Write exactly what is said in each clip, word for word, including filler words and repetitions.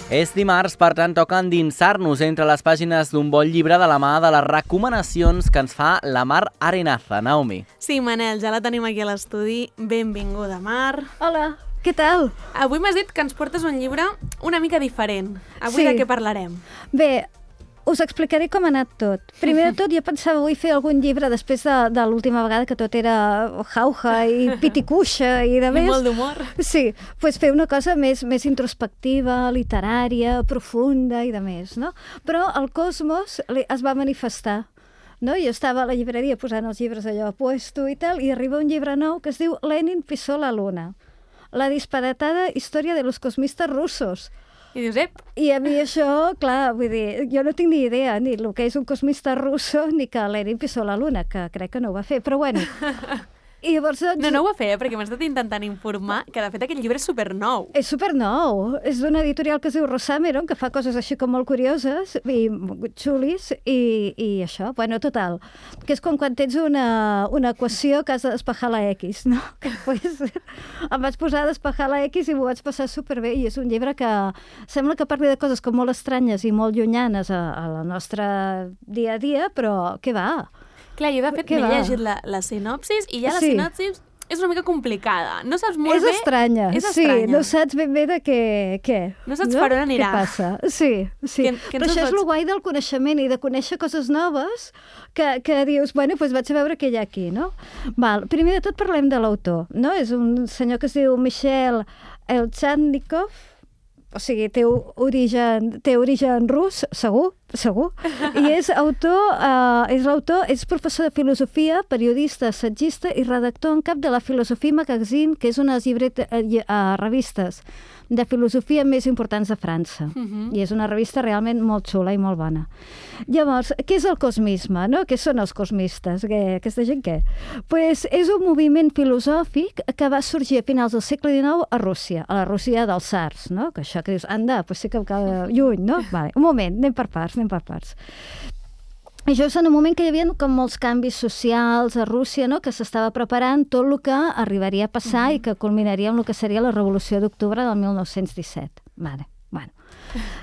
És dimarts, per tant, toca endinsar-nos entre les pàgines d'un bon llibre de la mà de les recomanacions que ens fa la Mar Arenaza. Naomi. Sí, Manel, ja la tenim aquí a l'estudi. Benvinguda, Mar. Hola, què tal? Avui m'has dit que ens portes un llibre una mica diferent. Avui Sí. de què parlarem? Bé, us explicaré com ha anat tot. Primer de tot, jo pensava avui fer algun llibre després de, de l'última vegada que tot era jauja i piticuixa i de I més. molt d'humor. Sí, doncs fer una cosa més, més introspectiva, literària, profunda i de més, no? Però el Cosmos li- es va manifestar. No? Jo estava a la llibreria posant els llibres allò a puesto i tal, i arriba un llibre nou que es diu Lenin pisó la luna. La disparatada història de los cosmistas russos. I dius, ep, I a mi això, clar, vull dir, jo no tinc ni idea ni el que és un cosmista russo ni que Lenin pisó la luna, que crec que no ho va fer, però bueno. I llavors, doncs, no, no ho va fer, eh? Perquè m'he estat intentant informar que de fet aquest llibre és supernou. és supernou. És d'una editorial que es diu Rosameron, que fa coses així com molt curioses i xulis, i, i això, bueno, total. Que és com quan tens una, una equació que has de despejar la X, no? Que pues, em vaig posar a despejar la X i m'ho vaig passar superbé, i és un llibre que sembla que parli de coses com molt estranyes i molt llunyanes a, a la nostra dia a dia, però què va? Clar, jo de fet Què m'he va? llegit la, la sinopsis i ja la Sí. sinopsis és una mica complicada. No saps molt És bé... estranya, És sí, estranya. no saps ben bé de què... què No saps per on anirà. Què passa? Sí, sí. Que- que ens Però això ho és pots- el guai del coneixement i de conèixer coses noves que, que dius, bueno, doncs vaig a veure què hi ha aquí, no? Val, primer de tot parlem de l'autor, no? És un senyor que es diu Michel Elchandnikov, o sigui, té origen, té origen rus, segur, segur, i és autor, eh, és l'autor, és professor de filosofia, periodista, assagista i redactor en cap de la Philosophie Magazine, que és una de les llibret- eh, lle- eh, revistes de filosofia més importants de França. Mhm. I és una revista realment molt xula i molt bona. Llavors, què és el cosmisme, no? Què són els cosmistes? Què, aquesta gent què? Pues és un moviment filosòfic que va sorgir a finals del segle dinou a Rússia, a la Rússia dels tsars, no? Que això que dius, anda, pues sí que queda lluny, no? Vale, un moment, anem per parts, anem per parts. I això és en un moment que hi havia com molts canvis socials a Rússia, no? Que s'estava preparant tot el que arribaria a passar i que culminaria amb el que seria la Revolució d'Octubre del mil nou-cents disset. Vale, bueno.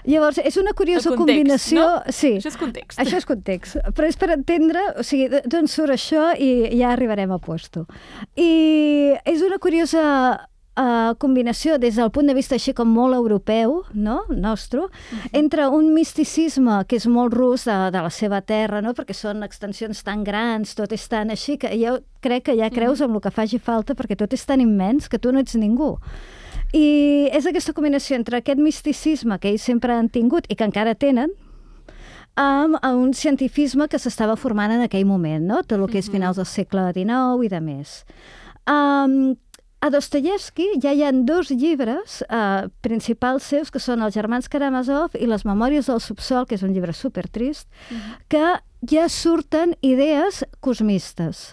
Llavors, és una curiosa El context, combinació... no? Sí, Això és context. això és context, però és per entendre, o sigui, d'on surt això i ja arribarem a puesto. I és una curiosa uh, combinació des del punt de vista així com molt europeu, no?, nostre, uh-huh. entre un misticisme que és molt rus de, de la seva terra, no?, perquè són extensions tan grans, tot és tan així, que jo crec que ja creus amb el que faci falta, perquè tot és tan immens que tu no ets ningú. I és aquesta combinació entre aquest misticisme que ells sempre han tingut i que encara tenen, amb un cientifisme que s'estava formant en aquell moment, no? Tot el que és finals del segle dinou i de més. Um, a Dostoyevsky ja hi ha dos llibres uh, principals seus, que són Els germans Karamazov i Les memòries del subsol, que és un llibre supertrist, uh-huh. que ja surten idees cosmistes,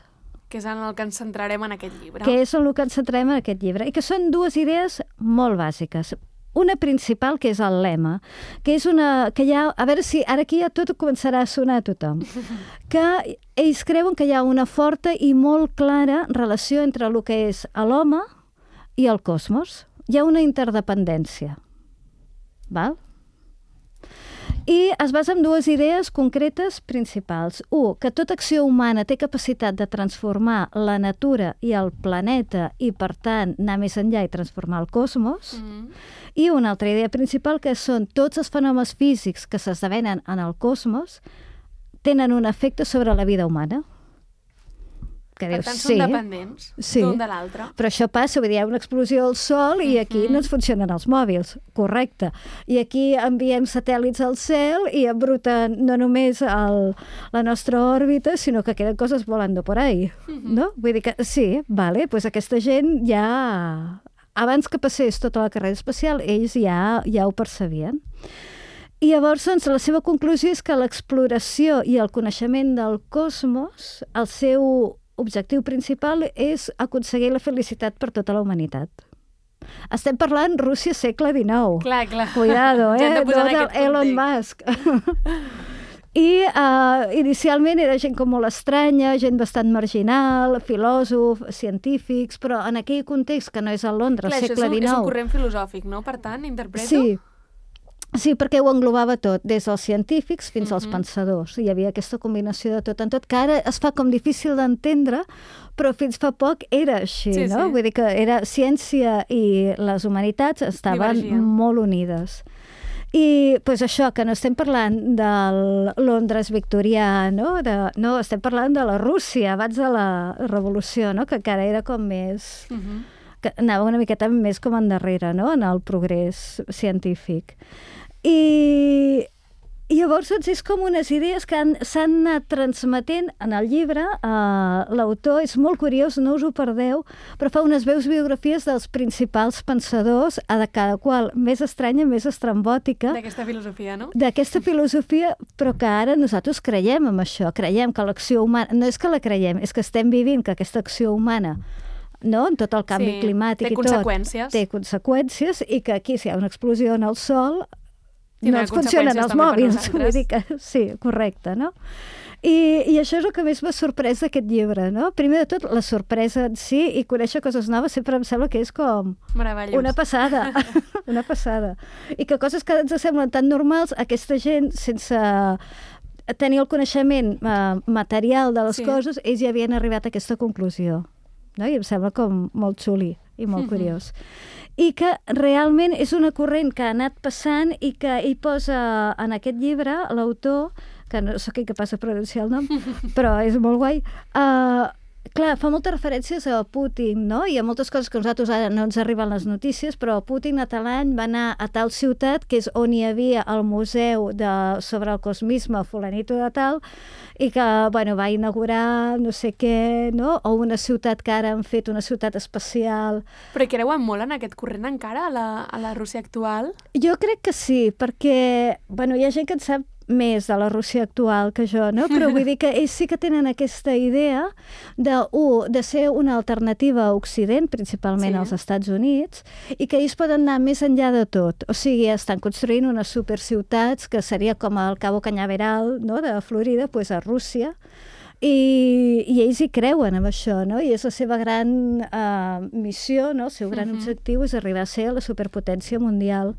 Que és en el que ens centrarem en aquest llibre. que és en el que ens centrem en aquest llibre, i que són dues idees molt bàsiques. Una principal, que és el lema, que és una... que hi ha, a veure si ara aquí ja tot començarà a sonar a tothom, que ells creuen que hi ha una forta i molt clara relació entre el que és l'home i el cosmos. Hi ha una interdependència. Val? I es basa en dues idees concretes principals. Un, que tota acció humana té capacitat de transformar la natura i el planeta i, per tant, anar més enllà i transformar el cosmos. Mm. I una altra idea principal, que són tots els fenòmens físics que s'esdevenen en el cosmos tenen un efecte sobre la vida humana. Que Per dius, tant, sí, són dependents sí. l'un de l'altre. Però això passa, vull dir, hi ha una explosió al Sol i aquí no ens funcionen els mòbils, correcte. I aquí enviem satèl·lits al cel i embruten no només el, la nostra òrbita, sinó que queden coses volando por ahí, no? Vull dir que sí, vale, doncs aquesta gent ja... Abans que passés tota la carrera espacial, ells ja, ja ho percebien. I llavors, doncs, la seva conclusió és que l'exploració i el coneixement del cosmos, el seu objectiu principal és aconseguir la felicitat per tota la humanitat. Estem parlant Rússia segle dinou. Clar, clar. Cuidado, Ja hem eh? de posar No en del aquest Elon context. Musk. I uh, inicialment era gent com molt estranya, gent bastant marginal, filòsof, científics, però en aquell context que no és a Londres, Clar, això segle és un, és un dinou. corrent filosòfic, no? Per tant, interpreto... Sí. Sí, perquè ho englobava tot, des dels científics fins als Mhm. pensadors. Hi havia aquesta combinació de tot en tot, que ara es fa com difícil d'entendre, però fins fa poc era així, Sí, no? sí. Vull dir que era ciència i les humanitats estaven Divergien. molt unides. I pues això, que no estem parlant del Londres victorià, no? De, no, estem parlant de la Rússia abans de la revolució, no? Que encara era com més... Mhm. que anava una miqueta més com endarrere, no?, en el progrés científic. I, i llavors doncs, és com unes idees que han- s'han anat transmetent en el llibre. Uh, L'autor és molt curiós, no us ho perdeu, però fa unes veus biografies dels principals pensadors, a de cada qual més estranya, més estrambòtica, D'aquesta filosofia, no? d'aquesta filosofia, però que ara nosaltres creiem en això, creiem que l'acció humana, no és que la creiem, és que estem vivint que aquesta acció humana, no?, en tot el canvi Sí, climàtic té i tot, conseqüències. té conseqüències, i que aquí si hi ha una explosió en el sol no Tindrà ens funcionen conseqüències els també per mòbils, nosaltres. vull dir que sí, correcte, no? I, I això és el que més m'ha sorprès d'aquest llibre, no? Primer de tot, la sorpresa en si i conèixer coses noves sempre em sembla que és com Meravellós. una passada, una passada. I que coses que ens semblen tan normals, aquesta gent, sense tenir el coneixement eh, material de les Sí. coses, ells ja havien arribat a aquesta conclusió. No? I em sembla com molt xuli i molt Mhm. curiós. I que realment és una corrent que ha anat passant i que hi posa en aquest llibre l'autor, que no sóc incapaç de pronunciar el nom, però és molt guai, uh, clar, fa moltes referències a Putin, no? I a moltes coses que a nosaltres ara no ens arriben les notícies, però Putin a tal any va anar a tal ciutat, que és on hi havia el museu de, sobre el cosmisme fulanito de tal, i que, bueno, va inaugurar no sé què, no? O una ciutat que ara han fet una ciutat espacial. Però hi creuen molt en aquest corrent encara, a la, a la Rússia actual? Jo crec que sí, perquè, bueno, hi ha gent que en sap més de la Rússia actual que jo, no? Però vull dir que ells sí que tenen aquesta idea de, u, de ser una alternativa a Occident, principalment Sí. als Estats Units, i que ells poden anar més enllà de tot. O sigui, estan construint unes superciutats que seria com el Cabo Cañaveral, no?, de Florida, pues a Rússia, i, i ells hi creuen en això, no? I és la seva gran uh, missió, no? El seu gran Mhm. objectiu és arribar a ser la superpotència mundial,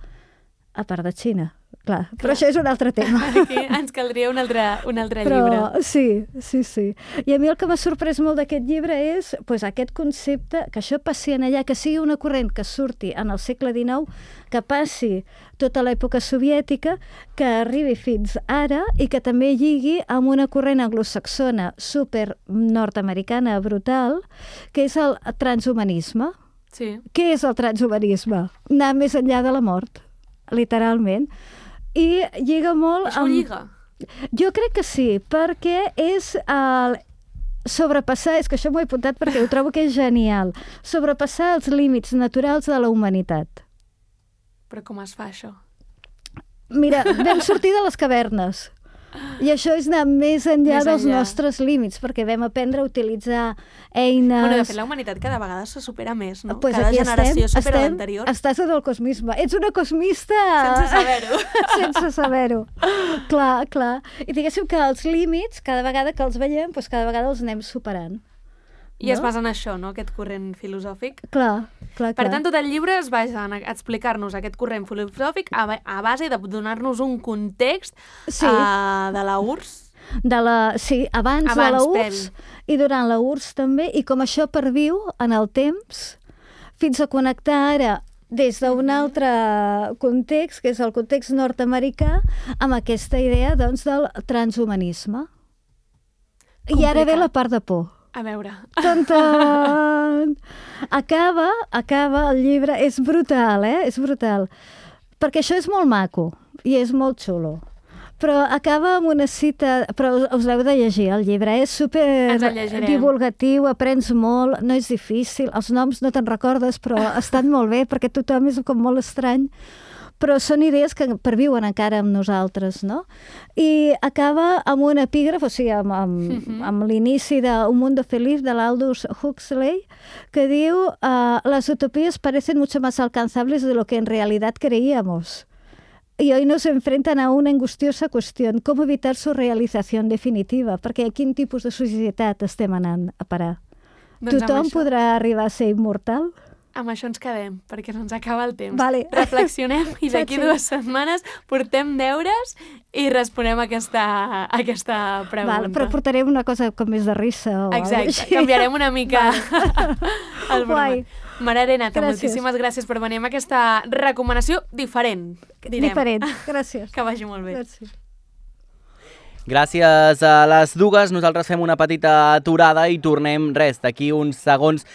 a part de Xina, clar. Però Clar. això és un altre tema. Aquí ens caldria un altre, un altre Però llibre. sí, sí, sí. I a mi el que m'ha sorprès molt d'aquest llibre és pues, aquest concepte, que això passi en allà, que sigui una corrent que surti en el segle dinou, que passi tota l'època soviètica, que arribi fins ara i que també lligui amb una corrent anglosaxona super nord-americana brutal, que és el transhumanisme. Sí. Què és el transhumanisme? Anar més enllà de la mort, literalment. I lliga molt Això ho amb... lliga? Jo crec que sí, perquè és el sobrepassar, és que això m'ho he apuntat perquè ho trobo que és genial, sobrepassar els límits naturals de la humanitat. Però com es fa, això? Mira, vam sortir de les cavernes. I això és anar més enllà Més dels enllà. nostres límits, perquè vam aprendre a utilitzar eines... Bueno, de fet, la humanitat cada vegada se supera més, no? Pues cada aquí generació estem, supera estem, l'anterior. Estàs en el cosmisme. Ets una cosmista... Sense saber-ho. Sense saber-ho. Clar, clar. I diguéssim que els límits, cada vegada que els veiem, doncs cada vegada els anem superant. I es No? basa en això, no?, aquest corrent filosòfic. Clar, clar, clar. Per tant, tot el llibre es basa en explicar-nos aquest corrent filosòfic a, ba- a base de donar-nos un context Sí. uh, de la U R S S. De la, sí, abans, Abans, de la U R S S previ. i durant la U R S S també, i com això perviu en el temps, fins a connectar ara des d'un altre context, que és el context nord-americà, amb aquesta idea, doncs, del transhumanisme. I ara ve Complicat. la part de por. A veure. Tan, tan. Acaba, acaba el llibre, és brutal, eh? És brutal. Perquè això és molt maco i és molt xulo. Però acaba amb una cita, però us l'heu de llegir, el llibre, és super Ens el llegirem. divulgatiu, aprens molt, no és difícil, els noms no te'n recordes, però estan molt bé, perquè tothom és com molt estrany, però són idees que perviuen encara amb nosaltres, no? I acaba amb un epígraf, o sigui, amb, amb, Mhm. amb l'inici d'Un mundo feliz de l'Aldous Huxley, que diu uh, las utopías parecen mucho más alcanzables de lo que en realidad creíamos. Y hoy nos enfrentan a una angustiosa cuestión, ¿cómo evitar su realización definitiva? Perquè a quin tipus de societat estem anant a parar? Doncs amb Tothom això. podrà arribar a ser immortal? amb això ens quedem, perquè se'ns acaba el temps. Vale. Reflexionem i d'aquí Sí. dues setmanes portem deures i responem aquesta, aquesta pregunta. Val, però portarem una cosa com més de rissa o Exacte, alguna així. canviarem una mica el Guai. format. Mare Arenata, Gràcies. moltíssimes gràcies per venir amb aquesta recomanació diferent, direm. Diferent, gràcies. Que vagi molt bé. Gràcies. Gràcies a les dues, nosaltres fem una petita aturada i tornem, res, d'aquí uns segons